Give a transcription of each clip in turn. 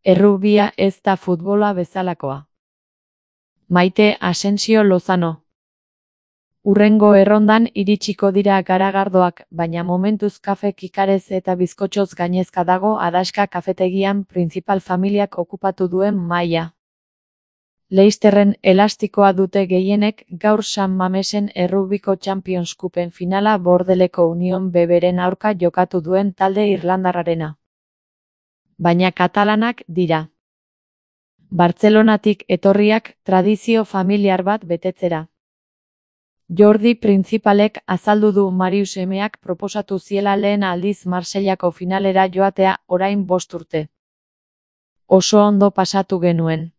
Errugbia ez da futbola bezalakoa. Maite Asensio Lozano. Hurrengo errondan iritsiko dira garagardoak, baina momentuz kafe kikarez eta bizkotxoz gainezka dago Adaxka kafetegian Principal familiak okupatu duen mahaia. Leisterren elastikoa dute gehienek gaur San Mamesen Errugbiko Champions Cupen finala Bordeleko Union Beberen aurka jokatu duen talde irlandarrarena. Baina katalanak dira. Bartzelonatik etorriak tradizio familiar bat betetzera. Jordi Principalek azaldu du Marius emeak proposatu ziela lehen aldiz Marseillako finalera joatea orain 5 urte. Oso ondo pasatu genuen.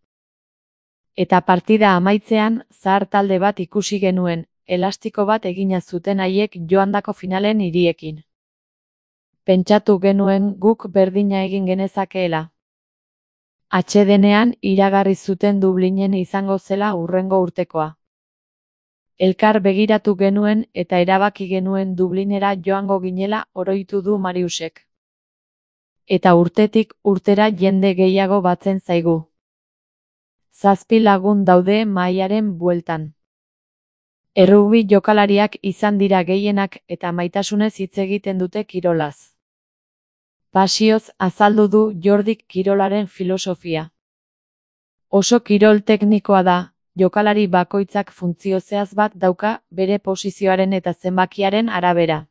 Eta partida amaitzean, zahar talde bat ikusi genuen, elastiko bat egina zuten haiek joandako finalen hiriekin. Pentsatu genuen guk berdina egin genezakeela. Atsedenean iragarri zuten Dublinen izango zela hurrengo urtekoa. Elkar begiratu genuen eta erabaki genuen Dublinera joango ginela oroitu du Mariusek. Eta urtetik urtera jende gehiago batzen zaigu. 7 lagun daude mahaiaren bueltan. Errugbi jokalariak izan dira gehienak eta maitasunez hitz egiten dute kirolaz. Pasioz azaldu du Jordik kirolaren filosofia. Oso kirol teknikoa da, jokalari bakoitzak funtzio zehatz bat dauka bere posizioaren eta zenbakiaren arabera.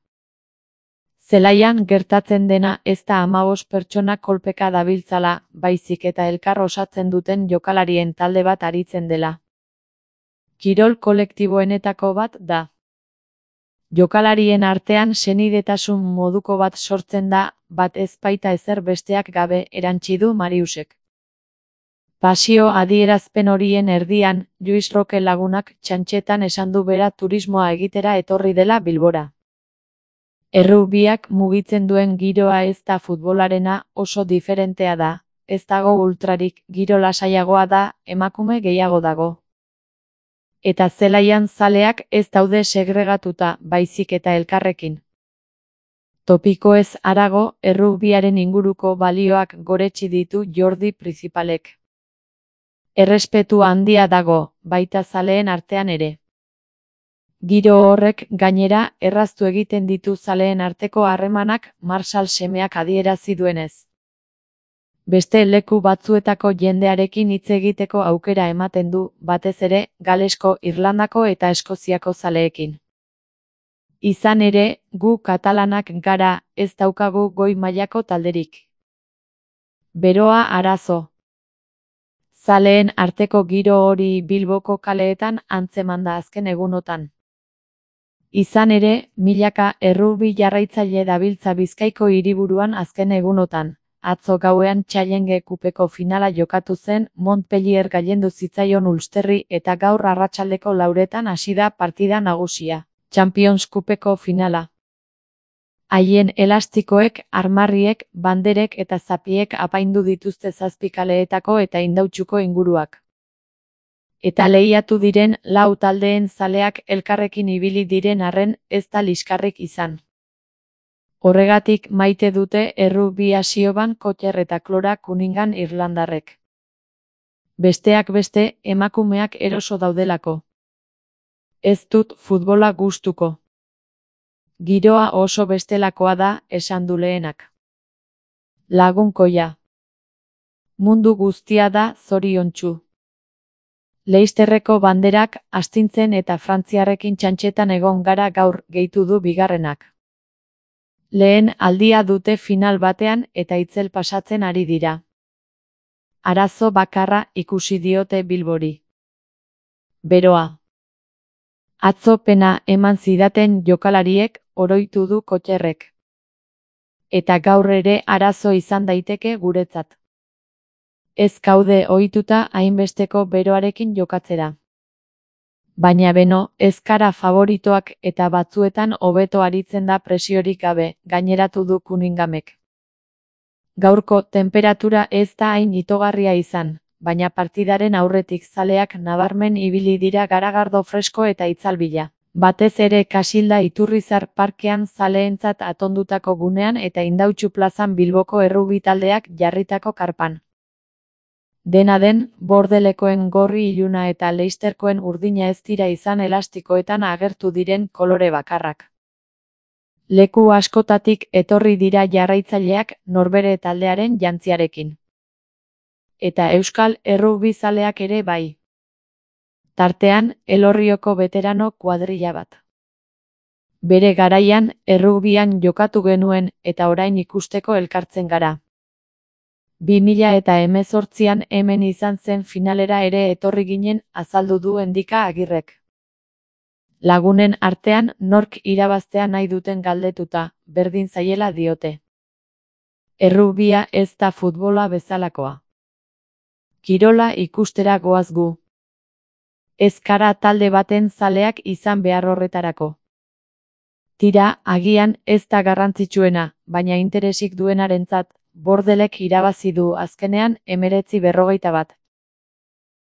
Zelaian gertatzen dena ez da 15 pertsona kolpeka dabiltzala, baizik eta elkar osatzen duten jokalarien talde bat aritzen dela. Kirol kolektiboenetako bat da. Jokalarien artean senidetasun moduko bat sortzen da, bat ez baita ezer besteak gabe erantsi du Mariusek. Pasio adierazpen horien erdian, Luis Roque lagunak txantxetan esan du bera turismoa egitera etorri dela Bilbora. Errugbiak mugitzen duen giroa ez da futbolarena, oso diferentea da, ez dago ultrarik, giro lasaiagoa da, emakume gehiago dago. Eta zelaian zaleak ez daude segregatuta, baizik eta elkarrekin. Topikoez harago, errugbiaren inguruko balioak goretsi ditu Jordi Principalek. Errespetu handia dago, baita zaleen artean ere. Giro horrek gainera erraztu egiten ditu zaleen arteko harremanak Marshall semeak adierazi duenez. Beste leku batzuetako jendearekin hitz egiteko aukera ematen du, batez ere, Galesko, Irlandako eta Eskoziako zaleekin. Izan ere, gu katalanak gara, ez daukagu goi mailako talderik. Beroa arazo. Zaleen arteko giro hori Bilboko kaleetan antzeman da azken egunotan. Izan ere, milaka errugbi jarraitzaile dabiltza Bizkaiko hiriburuan azken egunotan. Atzo gauean Challenge Cupeko finala jokatu zen, Montpellier gailendu zitzaion Ulsterri eta gaur arratsaldeko 4etan hasi da partida nagusia, Champions Cupeko finala. Haien elastikoek, armarriek, banderek eta zapiek apaindu dituzte 7 kaleetako eta Indautxuko inguruak. Eta lehiatu diren 4 taldeen zaleak elkarrekin ibili diren arren ez da liskarrik izan. Horregatik maite dute errugbi Asioban Kotter eta Klora Cunningham irlandarrek. Besteak beste, emakumeak eroso daudelako. Ez dut futbola gustuko. Giroa oso bestelakoa da, esan du lehenak. Lagunkoia. Mundu guztia da zoriontsu. Leisterreko banderak astintzen eta frantziarrekin txantxetan egon gara gaur, gehitu du bigarrenak. Lehen aldia dute final batean eta itzel pasatzen ari dira. Arazo bakarra ikusi diote Bilbori. Beroa. Atzo pena eman zidaten jokalariek, oroitu du Kotterrek. Eta gaur ere arazo izan daiteke guretzat. Ez gaude ohituta hainbesteko beroarekin jokatzera. Baina beno, ez gara favoritoak eta batzuetan hobeto aritzen da presiorik gabe, gaineratu du Cunninghamek. Gaurko tenperatura ez da hain itogarria izan, baina partidaren aurretik zaleak nabarmen ibili dira garagardo fresko eta itzalbila. Batez ere Kasilda Iturrizar parkean zaleentzat atondutako gunean eta Indautxu plazan Bilboko errugbi taldeak jarritako karpan. Dena den, Bordelekoen gorri iluna eta Leicesterkoen urdina ez dira izan elastikoetan agertu diren kolore bakarrak. Leku askotatik etorri dira jarraitzaileak norbere taldearen jantziarekin. Eta euskal errugbizaleak ere bai. Tartean, Elorrioko veterano kuadrilla bat. Bere garaian, errugbian jokatu genuen eta orain ikusteko elkartzen gara. 2018an hemen izan zen finalera ere etorri ginen, azaldu du Endika Agirrek. Lagunen artean nork irabaztea nahi duten galdetuta, berdin zaiela diote. Errugbia ez da futbola bezalakoa. Kirola ikustera goaz gu. Ez gara talde baten zaleak izan behar horretarako. Tira, agian ez da garrantzitsuena, baina interesik duenarentzat, Bordelek irabazi du azkenean 19-41.